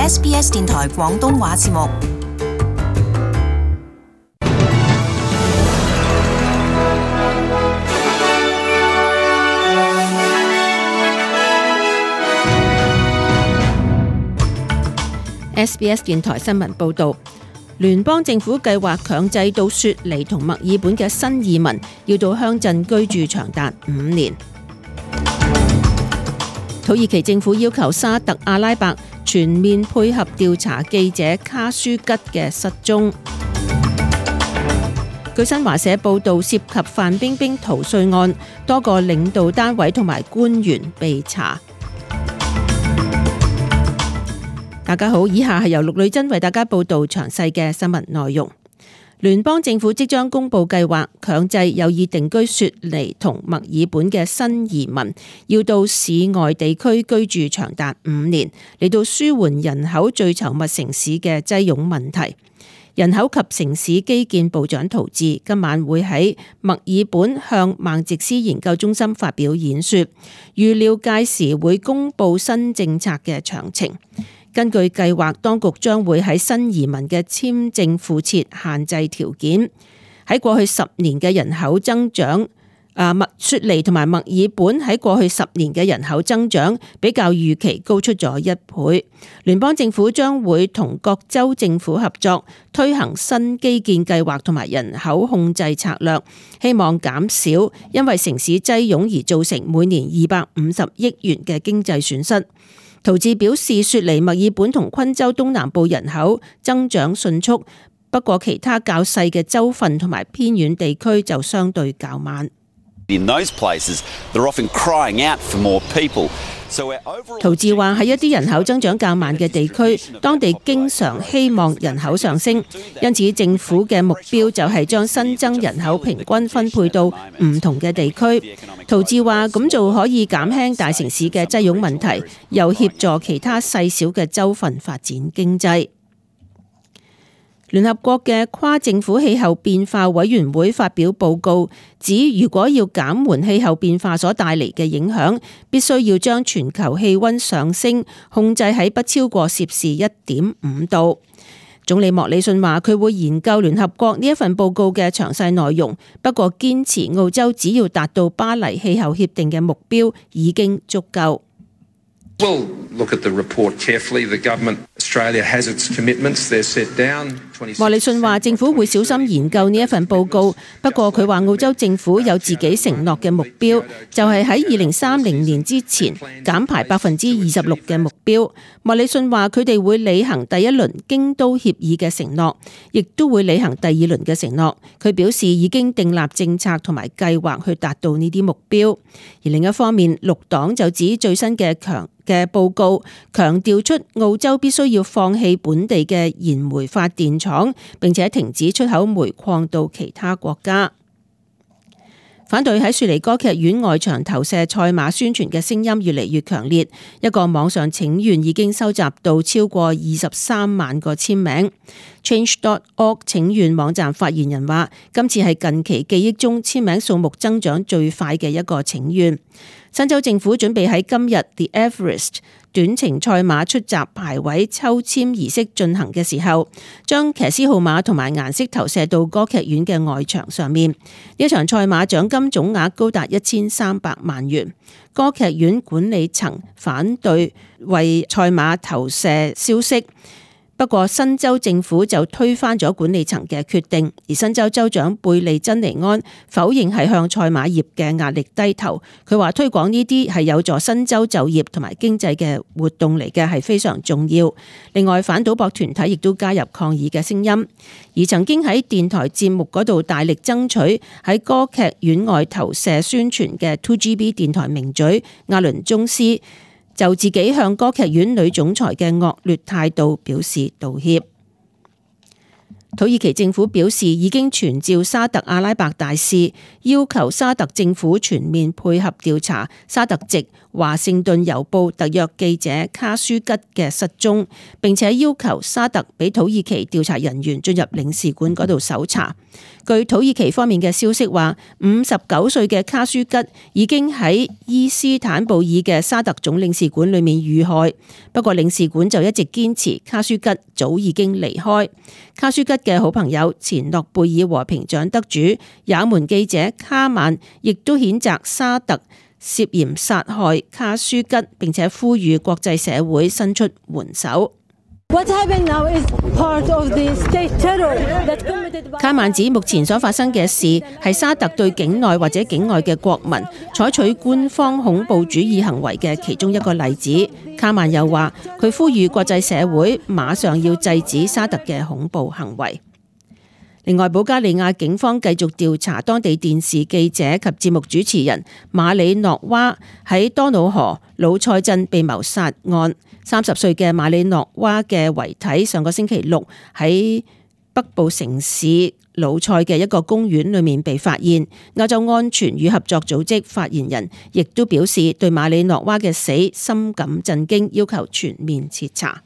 SBS 電台廣東話節目。SBS 電台新聞報導，聯邦政府計劃強制到雪梨同墨爾本嘅新移民要到鄉鎮居住長達5年。土耳其政府要求沙特阿拉伯全面配合調查記者卡舒吉嘅失蹤。據新華社報導，涉及范冰冰逃稅案，多個領導單位同埋官員被查。大家好，以下係由陸女真為大家報道詳細嘅新聞內容。聯邦政府即將公布計劃，強制有意定居雪梨同墨爾本嘅新移民要到市外地區居住長達5年，嚟到舒緩人口最稠密城市嘅擠擁問題。人口及城市基建部長陶治今晚會喺墨爾本向孟捷斯研究中心發表演說，預料屆時會公布新政策嘅詳情。根據計劃，當局將會喺新移民嘅簽證附設限制條件。喺過去10年嘅人口增長，雪梨同埋墨爾本喺過去10年嘅人口增長比較預期高出咗1倍。聯邦政府將會同各州政府合作，推行新基建計劃同埋人口控制策略，希望減少因為城市擠擁而造成每年250億元嘅經濟損失。陶治表示，雪梨、墨爾本同昆州東南部人口增長迅速，不過其他較細嘅州份同埋偏遠地區就相對較慢。陶治話喺一啲人口增長較慢嘅地區，當地經常希望人口上升，因此政府嘅目標就係將新增人口平均分配到唔同嘅地區。陶治話咁做可以減輕大城市嘅擠擁問題，又協助其他細小嘅州份發展經濟。聯合國嘅跨政府氣候變化委員會發表報告，指如果要減緩氣候變化所帶嚟嘅影響，必須要將全球氣溫上升控制喺不超過攝氏1.5度。總理莫里遜話佢會研究聯合國呢一份報告嘅詳細內容，不過堅持澳洲只要達到巴黎氣候協定嘅目標已經足夠。莫里遜話政府會小心研究呢一份報告，不過佢話澳洲政府有自己承諾嘅目標，就係喺2030年之前減排26%嘅目標。莫里遜話佢哋會履行第一輪京都協議嘅承諾，亦都會履行第二輪嘅承諾。佢表示已經訂立政策同埋計劃去達到呢啲目標。而另一方面，綠黨就指最新嘅報告強調出澳洲必須要放棄本地嘅燃煤發電廠，並且停止出口煤礦到其他國家。反對喺雪梨歌劇院外牆投射賽馬宣傳嘅聲音越嚟越強烈，一個網上請願已經收集到超過23萬個簽名。Change.org 請願網站發言人話，今次係近期記憶中簽名數目增長最快嘅一個請願。新州政府準備喺今日 The Everest 短程賽馬出閘排位抽籤儀式進行嘅時候，將騎師號碼同埋顏色投射到歌劇院嘅外牆上面。呢場賽馬獎金總額高達1300萬元。歌劇院管理層反對為賽馬投射消息，不過新州政府就推翻咗管理層嘅決定，而新州州長貝利珍尼安否認係向賽馬業嘅壓力低頭。佢話推廣呢啲係有助新州就業同埋經濟嘅活動嚟嘅，係非常重要。另外，反賭博團體亦都加入抗議嘅聲音，而曾經喺電台節目嗰度大力爭取喺歌劇院外投射宣傳嘅 2GB 電台名嘴亞倫宗斯就自己向歌劇院女總裁嘅惡劣態度表示道歉。土耳其政府表示已經傳召沙特阿拉伯大使，要求沙特政府全面配合調查沙特籍華盛頓郵報特約記者卡舒吉嘅失蹤，並且要求沙特俾土耳其調查人員進入領事館嗰度搜查。據土耳其方面嘅消息話，59歲嘅卡舒吉已經喺伊斯坦布爾嘅沙特總領事館裏面遇害，不過領事館就一直堅持卡舒吉早已經離開。卡舒吉嘅好朋友前諾貝爾和平獎得主也門記者卡曼亦都譴責沙特涉嫌殺害卡舒吉，並且呼籲國際社會伸出援手。卡曼指目前所發生嘅事係沙特對境內或者境外嘅國民採取官方恐怖主義行為嘅其中一個例子。卡曼又話佢呼籲國際社會馬上要制止沙特嘅恐怖行為。另外，保加利亞警方繼續調查當地電視記者及節目主持人馬里諾娃喺多瑙河魯塞鎮被謀殺案。30歲嘅馬里諾娃嘅遺體上個星期六喺北部城市魯塞嘅一個公園裏面被發現。歐洲安全與合作組織發言人亦都表示對馬里諾娃嘅死深感震驚，要求全面徹查。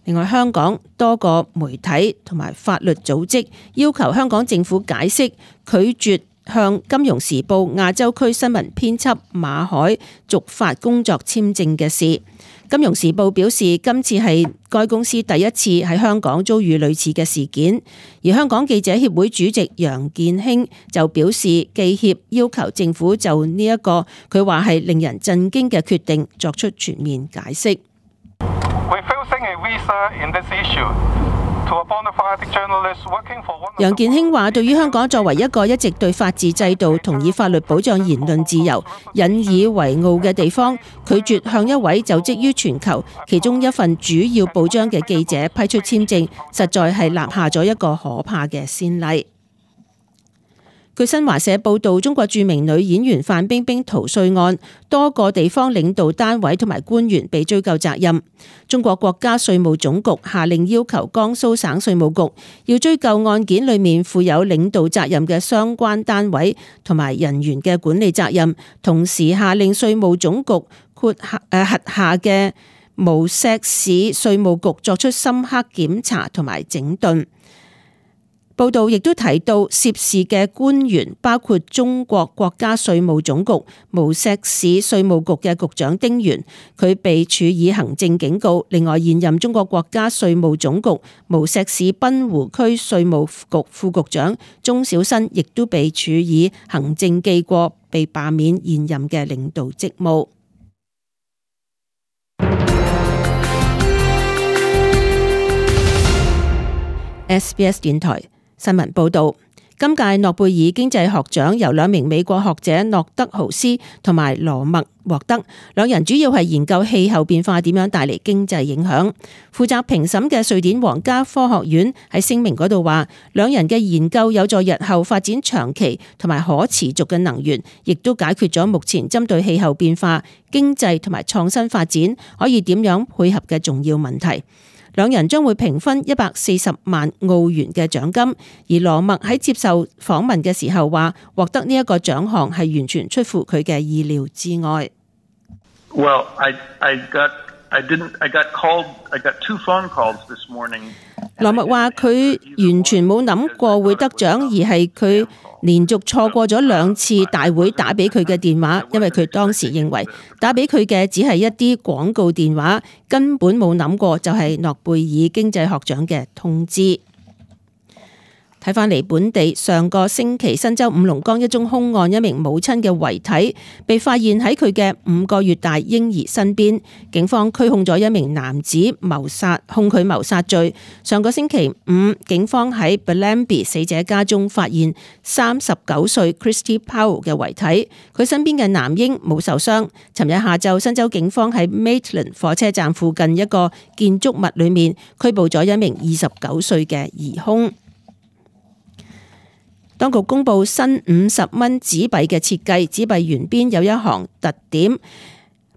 另外，香港多個媒體同埋法律組織要求香港政府解釋拒絕向《金融時報》亞洲區新聞編輯馬海續發工作簽證嘅事。《金融時報》表示，今次係該公司第一次喺香港遭遇類似嘅事件。而香港記者協會主席楊健興就表示，記協要求政府就呢一個佢話係令人震驚嘅決定作出全面解釋。楊健興話，對於香港作為一個一直對法治制度同以法律保障言論自由引以為傲嘅地方，拒絕向一位就職於全球其中一份主要報章嘅記者批出簽證，實在係立下咗一個可怕嘅先例。據新華社報道，中國著名女演員范冰冰逃稅案，多個地方領導單位同埋官員被追究責任。中國國家稅務總局下令要求江蘇省稅務局要追究案件裏面負有領導責任嘅相關單位同埋人員嘅管理責任，同時下令稅務總局轄下嘅無錫市稅務局作出深刻檢查同埋整頓。報道亦都提到，涉事嘅官員包括中國國家稅務總局無錫市稅務局嘅局長丁元，佢被處以行政警告。另外，現任中國國家稅務總局無錫市濱湖區稅務局副局長鍾小新亦都被處以行政記過，被罷免現任嘅領導職務。SBS 電台新聞報道，今屆諾貝爾經濟學獎由2名美國學者諾德豪斯同埋羅默獲得，兩人主要係研究氣候變化點樣帶嚟經濟影響。負責評審嘅瑞典皇家科學院喺聲明嗰度話，兩人嘅研究有助日後發展長期同埋可持續嘅能源，亦都解決咗目前針對氣候變化、經濟同埋創新發展可以點樣配合嘅重要問題。兩人將會平分140萬澳元嘅獎金，而羅默喺接受訪問嘅時候話，獲得呢一個獎項係完全出乎佢嘅意料之外。Well, I got two phone calls this morning. 羅默話佢完全冇諗過會得獎，而係佢連續錯過咗2次大會打俾佢嘅電話，因為佢當時認為打俾佢嘅只係一啲廣告電話，根本冇諗過就係諾貝爾經濟學獎嘅通知。睇返嚟本地，上個星期新州五龍崗一宗兇案，一名母親嘅遺體被發現喺佢嘅5個月大嬰兒身邊，警方拘控咗一名男子控佢謀殺罪。上個星期五，警方喺 Bellambi 死者家中發現39歲 Christy Powell 嘅遺體，佢身邊嘅男嬰冇受傷。尋日下晝，新州警方喺 Maitland 火車站附近一個建築物裏面拘捕咗一名29歲嘅疑兇。當局公布新50蚊紙幣嘅設計，紙幣圓邊有一行特點，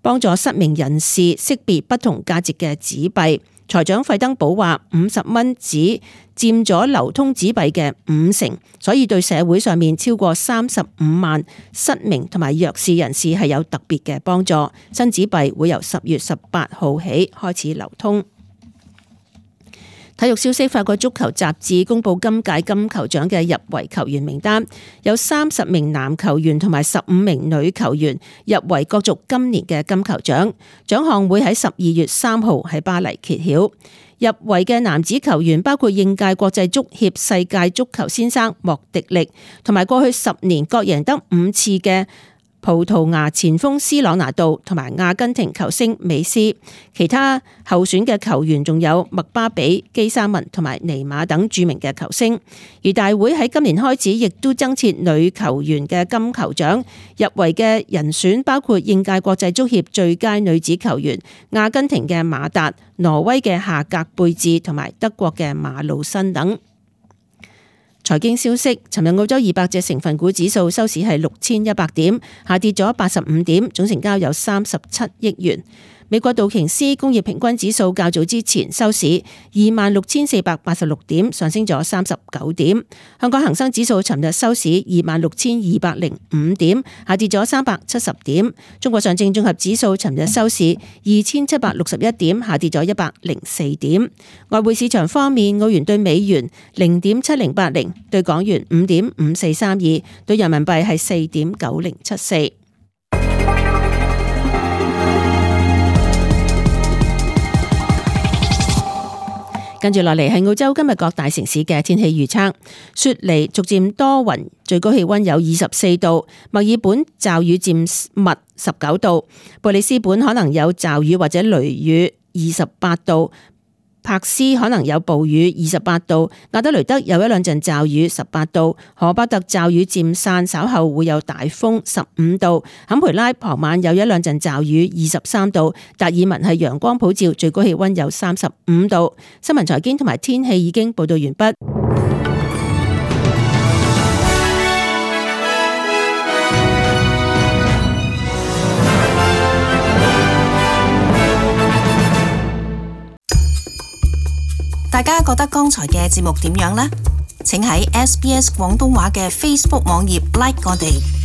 幫助失明人士識別不同價值嘅紙幣。財長費登堡話50蚊紙佔咗流通紙幣嘅50%，所以對社會上面超過35萬失明同埋弱視人士係有特別嘅幫助。新紙幣會由10月18號起開始流通。體育消息，法國足球雜誌公布今屆金球獎嘅入圍球員名單，有30名男球員同埋15名女球員入圍角逐今年嘅金球獎。獎項會喺12月3號喺巴黎揭曉。入圍嘅男子球員包括應屆國際足協世界足球先生莫迪力，同埋過去10年各贏得5次嘅葡萄牙前鋒斯朗拿度同埋阿根廷球星美斯。其他候選嘅球員仲有麥巴比、基沙文同埋尼馬等著名嘅球星。而大會喺今年開始亦都增設女球員嘅金球獎，入圍嘅人選包括應屆國際足協最佳女子球員阿根廷嘅馬達、挪威嘅夏格貝治同埋德國嘅馬魯辛等。財經消息，尋日澳洲200隻成分股指數收市係6100點，下跌咗85點，總成交有37億元。美國道瓊斯工業平均指數較早之前收市26,486點，上升咗39點。香港恒生指數尋日收市26,205點，下跌咗370點。中國上證綜合指數尋日收市2761點，下跌咗104點。外匯市場方面，澳元對美元0.7080，對港元5.5432，對人民幣係4.9074。跟住落嚟係澳洲今日各大城市嘅天氣預測。雪梨逐漸多雲，最高氣溫有24度；墨爾本驟雨漸密19度；布里斯本可能有驟雨或者雷雨28度；柏斯可能有暴雨28度；亞德雷德有一兩陣驟雨18度；荷巴特驟雨漸散，稍後會有大風15度；坎培拉傍晚有一兩陣驟雨23度；達爾文係陽光普照，最高氣溫有35度。新聞財經同埋天氣已經報道完畢。大家覺得剛才嘅節目點樣呢？請喺SBS 廣東話嘅 Facebook 網頁 like 我哋。